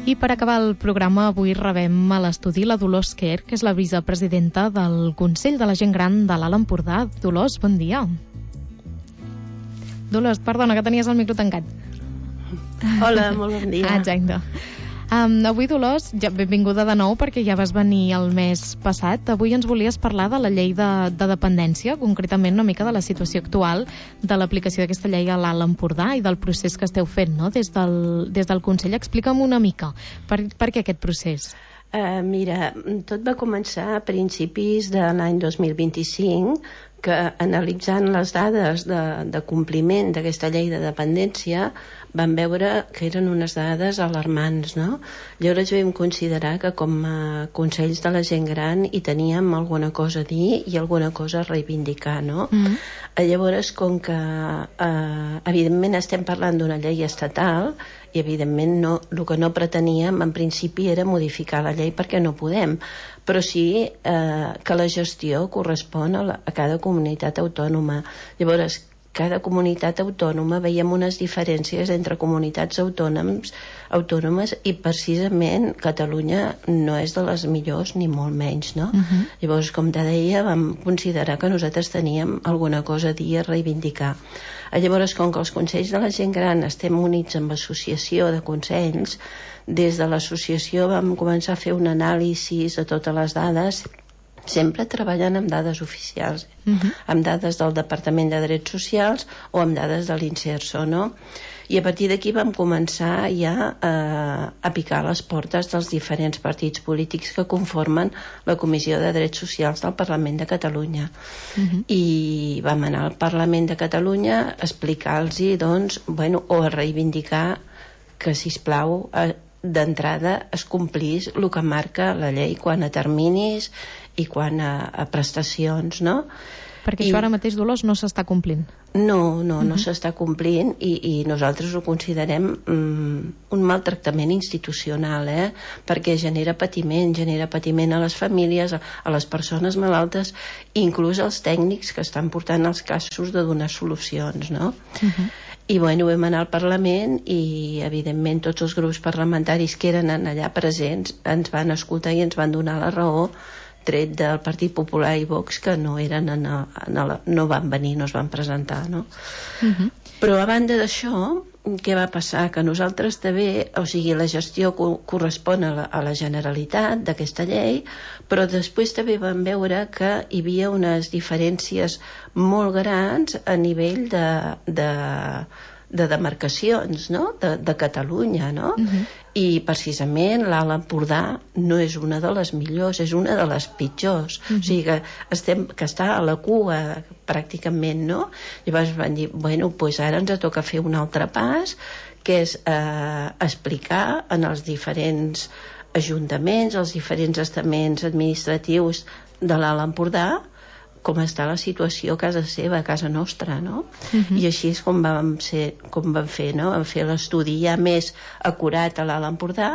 I per acabar el programa, avui rebem a l'estudi la Dolors Quer, que és la vicepresidenta del Consell de la Gent Gran de l'Alt Empordà. Dolors, bon dia. Dolors, perdona, que tenies el micro tancat. Hola, molt bon dia. Exacte. Avui, Dolors, ja benvinguda de nou perquè ja vas venir el mes passat. Avui ens volies parlar de la llei de dependència, concretament una mica de la situació actual de l'aplicació d'aquesta llei a l'Alt Empordà i del procés que esteu fent, no? Des del Consell. Explica'm una mica per què aquest procés. Mira, tot va començar a principis de l'any 2025, que analitzant les dades de compliment d'aquesta llei de dependència vam veure que eren unes dades alarmants, no? Llavors vam considerar que com a Consells de la Gent Gran hi teníem alguna cosa a dir i alguna cosa a reivindicar, no? Llavors, com que evidentment estem parlant d'una llei estatal i evidentment el que no preteníem en principi era modificar la llei perquè no podem, però sí que la gestió correspon a cada comunitat autònoma. Llavors, cada comunitat autònoma veiem unes diferències entre comunitats autònomes i precisament Catalunya no és de les millors ni molt menys, no? Llavors, com te deia, vam considerar que nosaltres teníem alguna cosa a dir, a reivindicar. Llavors, com que els Consells de la Gent Gran estem units amb l'associació de consells, des de l'associació vam començar a fer un anàlisi de totes les dades, sempre treballant amb dades oficials, amb dades del Departament de Drets Socials o amb dades de l'Inserso, no? I a partir d'aquí vam començar ja a picar les portes dels diferents partits polítics que conformen la Comissió de Drets Socials del Parlament de Catalunya. I vam anar al Parlament de Catalunya a explicar-los, doncs, o a reivindicar que, sisplau, d'entrada es complís el que marca la llei quant a terminis i quant a prestacions, no? Perquè això ara mateix, Dolors, no s'està complint. No s'està complint i nosaltres ho considerem un maltractament institucional, perquè genera patiment a les famílies, a les persones malaltes, inclús als tècnics que estan portant els casos de donar solucions, no? I vam anar al Parlament i evidentment tots els grups parlamentaris que eren allà presents ens van escoltar i ens van donar la raó, tret del Partit Popular i Vox, que no van venir, no es van presentar, no? Però a banda d'això, què va passar? Que nosaltres també, la gestió correspon a la Generalitat d'aquesta llei, però després també vam veure que hi havia unes diferències molt grans a nivell de demarcacions, no? De Catalunya, no? I precisament l'Alt Empordà no és una de les millors, és una de les pitjors. O sigui que està a la cua pràcticament, no? Llavors van dir, doncs ara ens toca fer un altre pas, que és explicar en els diferents ajuntaments, els diferents estaments administratius de l'Alt Empordà, com està la situació a casa seva, a casa nostra, no? I així és com vam fer, no? Vam fer l'estudi ja més acurat a l'Alt Empordà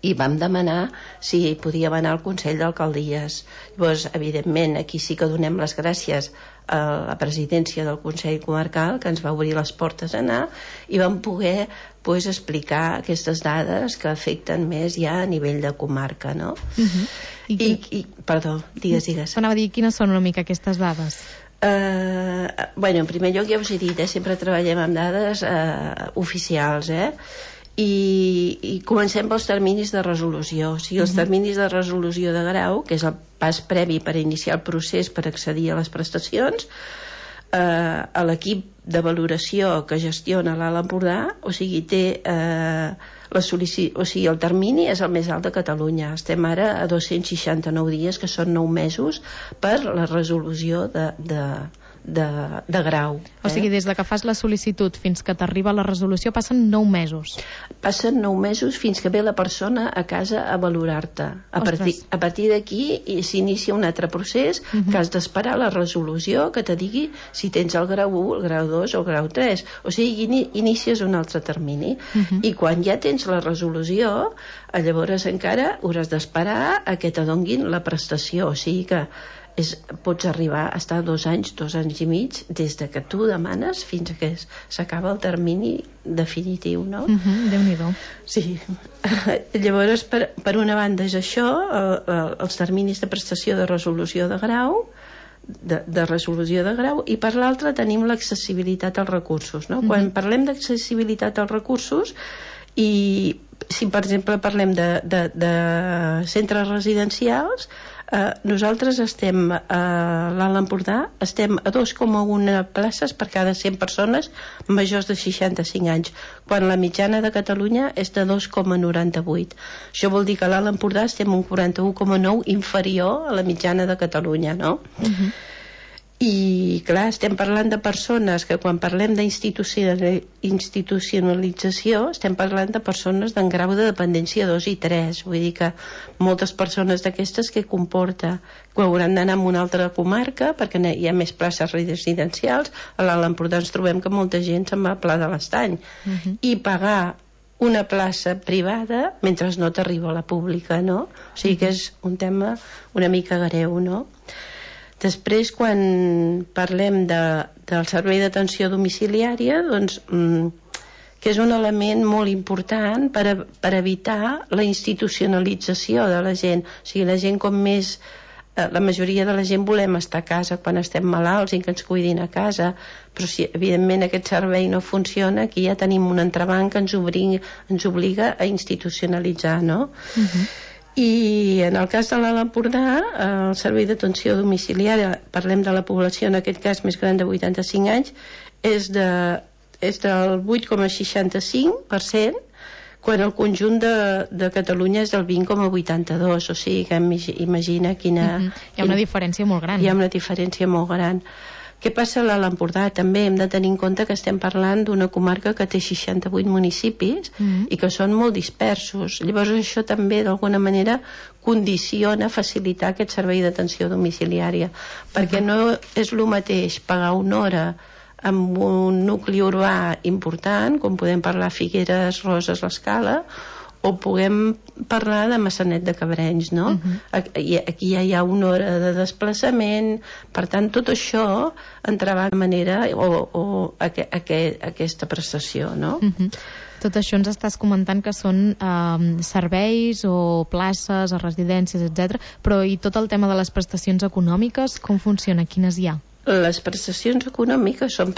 i vam demanar si podíem anar al Consell d'Alcaldies. Llavors, evidentment, aquí sí que donem les gràcies a la presidència del Consell Comarcal, que ens va obrir les portes a anar, i vam poder explicar aquestes dades que afecten més ja a nivell de comarca, no? Perdó, digues. Anava a dir, quines són una mica aquestes dades? En primer lloc, ja us he dit, sempre treballem amb dades oficials, i comencem pels terminis de resolució. O sigui, els terminis de resolució de grau, que és el pas previ per iniciar el procés per accedir a les prestacions, a l'equip de valoració que gestiona l'Alt Empordà, té el termini és el més alt de Catalunya. Estem ara a 269 dies, que són 9 mesos per la resolució de grau. O sigui, des de que fas la sol·licitud fins que t'arriba la resolució passen 9 mesos. Passen 9 mesos fins que ve la persona a casa a valorar-te. A partir d'aquí s'inicia un altre procés que has d'esperar la resolució que te digui si tens el grau 1, el grau 2 o el grau 3. O sigui, inicies un altre termini. I quan ja tens la resolució, llavors encara hauràs d'esperar a que te donguin la prestació. O sigui que pots arribar a estar 2 anys i mig, des de que tu demanes fins que s'acaba el termini definitiu, no? Déu-n'hi-do. Sí. Llavors, per una banda és això, els terminis de prestació de resolució de grau, i per l'altra tenim l'accessibilitat als recursos, no? Quan parlem d'accessibilitat als recursos, i si per exemple parlem de centres residencials, nosaltres estem a l'Alt Empordà, estem a 2,1 places per cada 100 persones majors de 65 anys, quan la mitjana de Catalunya és de 2,98. Això vol dir que a l'Alt Empordà estem un 41,9 inferior a la mitjana de Catalunya, no? I clar, estem parlant de persones que quan parlem d'institucionalització estem parlant de persones d'en grau de dependència 2 i 3, vull dir que moltes persones d'aquestes que comporta que hauran d'anar a una altra comarca perquè hi ha més places residencials. A l'Alt Empordà ens trobem que molta gent se'n va a Pla de l'Estany i pagar una plaça privada mentre no t'arriba a la pública, no? O sigui que és un tema una mica greu, no? Després, quan parlem del servei d'atenció domiciliària, doncs, que és un element molt important per evitar la institucionalització de la gent. O sigui, la gent la majoria de la gent volem estar a casa quan estem malalts i que ens cuidin a casa, però si evidentment aquest servei no funciona, aquí ja tenim un entrebanc que ens obliga a institucionalitzar, no? I en el cas de l'Alt Empordà, el servei d'atenció domiciliària, parlem de la població en aquest cas més gran de 85 anys, és del 8,65%, quan el conjunt de Catalunya és del 20,82%, o sigui que imagina quina... Hi ha una diferència molt gran. Hi ha una diferència molt gran. Què passa a l'Alt Empordà? També hem de tenir en compte que estem parlant d'una comarca que té 68 municipis i que són molt dispersos. Llavors això també d'alguna manera condiciona facilitar aquest servei d'atenció domiciliària, perquè no és el mateix pagar una hora amb un nucli urbà important, com podem parlar Figueres, Roses, l'Escala, o puguem parlar de Maçanet de Cabrenys, no? Aquí ja hi ha una hora de desplaçament, per tant tot això entrava de manera o aquesta prestació, no? Tot això ens estàs comentant que són serveis o places o residències, etc. Però i tot el tema de les prestacions econòmiques, com funciona? Quines hi ha? Les prestacions econòmiques són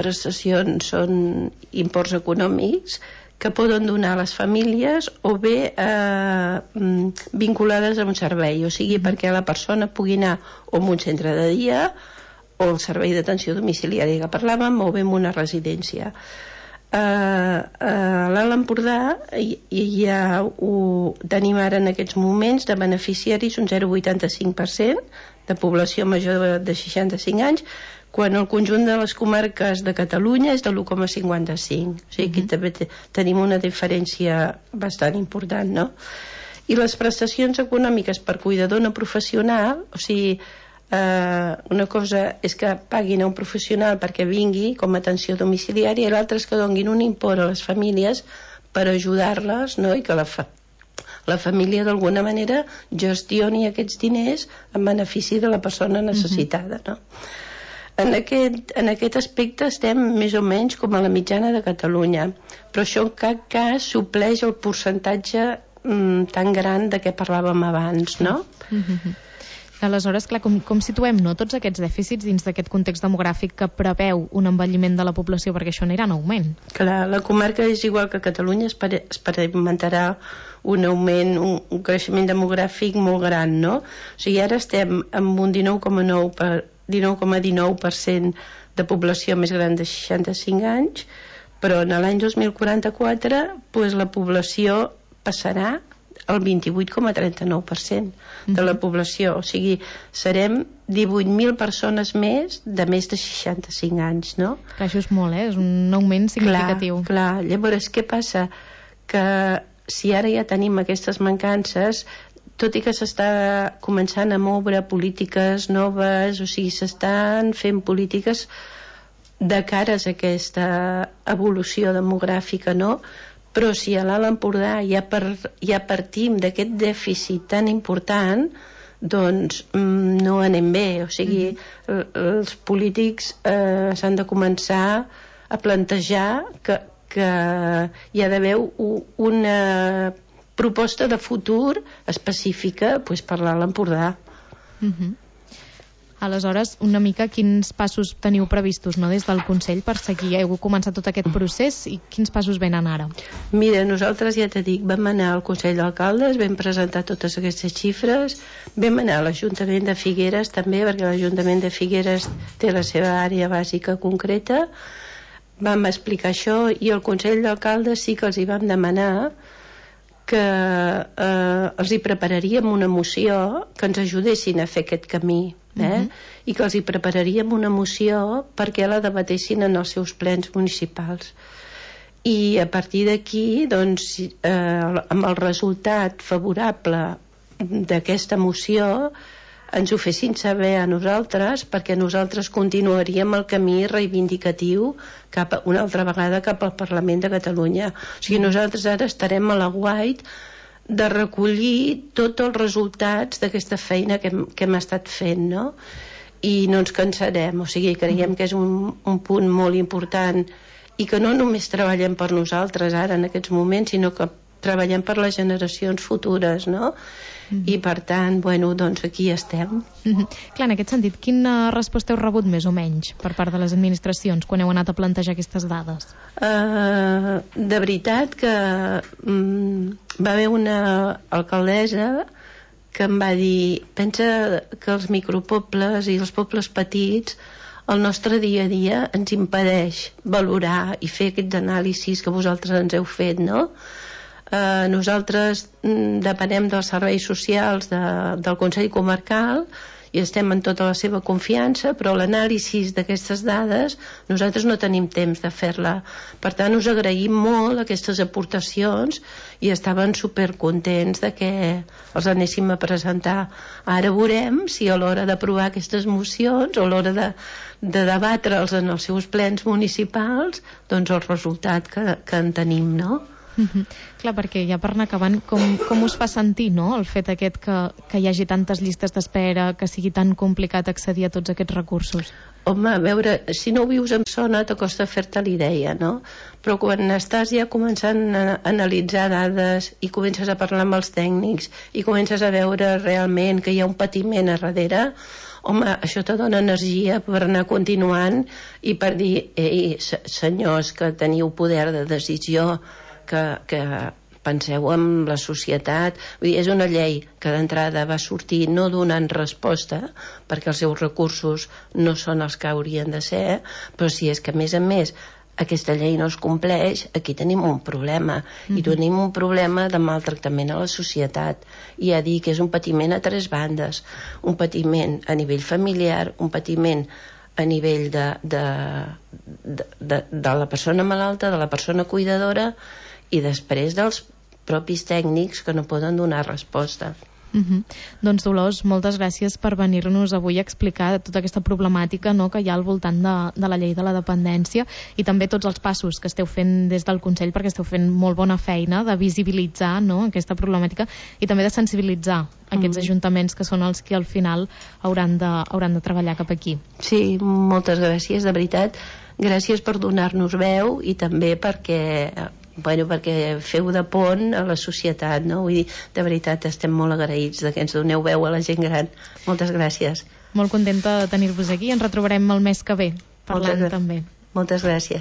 imports econòmics que poden donar a les famílies o bé vinculades a un servei, o sigui, perquè la persona pugui anar o a un centre de dia o al servei d'atenció domiciliària que parlàvem, o bé a una residència. A l'Alt Empordà tenim ara en aquests moments de beneficiaris un 0,85% de població major de 65 anys, quan el conjunt de les comarques de Catalunya és de l'1,55. O sigui, aquí també tenim una diferència bastant important, no? I les prestacions econòmiques per cuidador no professional, o sigui, una cosa és que paguin a un professional perquè vingui com a atenció domiciliària i l'altra és que donin un import a les famílies per ajudar-les, no? I que la família d'alguna manera gestioni aquests diners en benefici de la persona necessitada, no? En aquest aspecte estem més o menys com a la mitjana de Catalunya, però això en cap cas supleix el percentatge tan gran de què parlàvem abans, no? Aleshores, clar, com situem tots aquests dèficits dins d'aquest context demogràfic que preveu un envelliment de la població, perquè això anirà en augment? Clar, la comarca és igual que Catalunya, experimentarà un augment, un creixement demogràfic molt gran, no? O sigui, ara estem amb un 19,19% de població més gran de 65 anys, però en l'any 2044 la població passarà el 28,39% de la població, o sigui, serem 18.000 persones més de 65 anys, no? Clar, això és molt, és un augment significatiu. Clar. Llavors, què passa? Que si ara ja tenim aquestes mancances, tot i que s'està començant a moure polítiques noves, o sigui, s'estan fent polítiques de cares a aquesta evolució demogràfica, no? Però si a l'Alt Empordà ja partim d'aquest dèficit tan important, doncs no anem bé. O sigui, els polítics s'han de començar a plantejar que hi ha d'haver una proposta de futur específica per l'Alt Empordà. Aleshores, una mica quins passos teniu previstos, no, des del Consell per seguir? Heu començat tot aquest procés i quins passos venen ara? Mira, nosaltres, ja t'he dit, vam anar al Consell d'Alcaldes, vam presentar totes aquestes xifres, vam anar a l'Ajuntament de Figueres també, perquè l'Ajuntament de Figueres té la seva àrea bàsica concreta, vam explicar això, i al Consell d'Alcaldes sí que els hi vam demanar que els hi prepararíem una moció que ens ajudessin a fer aquest camí, i que els hi prepararíem una moció perquè la debatessin en els seus plens municipals. I a partir d'aquí, doncs, amb el resultat favorable d'aquesta moció, ens ho fessin saber a nosaltres, perquè nosaltres continuaríem el camí reivindicatiu una altra vegada cap al Parlament de Catalunya. O sigui, nosaltres ara estarem a l'aguait de recollir tots els resultats d'aquesta feina que hem estat fent, no? I no ens cansarem. O sigui, creiem que és un punt molt important i que no només treballem per nosaltres ara en aquests moments, sinó que treballem per les generacions futures, no? I per tant, bueno, doncs aquí estem. Clar, en aquest sentit, quina resposta heu rebut més o menys per part de les administracions quan heu anat a plantejar aquestes dades? De veritat que va haver una alcaldessa que em va dir, pensa que els micropobles i els pobles petits, el nostre dia a dia ens impedeix valorar i fer aquests anàlisis que vosaltres ens heu fet, no? Nosaltres depenem dels serveis socials del Consell Comarcal i estem en tota la seva confiança, però l'anàlisi d'aquestes dades nosaltres no tenim temps de fer-la. Per tant, us agraïm molt aquestes aportacions i estaven supercontents de que els anéssim a presentar. Ara veurem si a l'hora d'aprovar aquestes mocions o a l'hora de debatre'ls en els seus plens municipals, doncs el resultat que en tenim, no? Clar, perquè ja per anar acabant, com us fa sentir, no?, el fet aquest que hi hagi tantes llistes d'espera, que sigui tan complicat accedir a tots aquests recursos? Home, a veure, si no ho vius en zona t'acosta fer-te l'idea, no? Però quan estàs ja començant a analitzar dades i comences a parlar amb els tècnics i comences a veure realment que hi ha un patiment a darrere, home, això te dona energia per anar continuant i per dir, ei, senyors que teniu poder de decisió, que penseu en la societat. Vull dir, és una llei que d'entrada va sortir no donant resposta, perquè els seus recursos no són els que haurien de ser, però si és que a més aquesta llei no es compleix, aquí tenim un problema, i tenim un problema de maltractament a la societat. I ja dic que és un patiment a tres bandes, un patiment a nivell familiar, un patiment a nivell de la persona malalta, de la persona cuidadora, i després dels propis tècnics que no poden donar resposta. Doncs Dolors, moltes gràcies per venir-nos avui a explicar tota aquesta problemàtica, no?, que hi ha al voltant de la llei de la dependència, i també tots els passos que esteu fent des del Consell, perquè esteu fent molt bona feina de visibilitzar, no?, aquesta problemàtica i també de sensibilitzar aquests ajuntaments que són els que al final hauran de treballar cap aquí. Sí, moltes gràcies, de veritat. Gràcies per donar-nos veu i també perquè feu de pont a la societat, no? Vull dir, de veritat estem molt agraïts que ens doneu veu a la gent gran. Moltes gràcies. Molt contenta de tenir-vos aquí. Ens retrobarem el mes que ve parlant també. Moltes gràcies.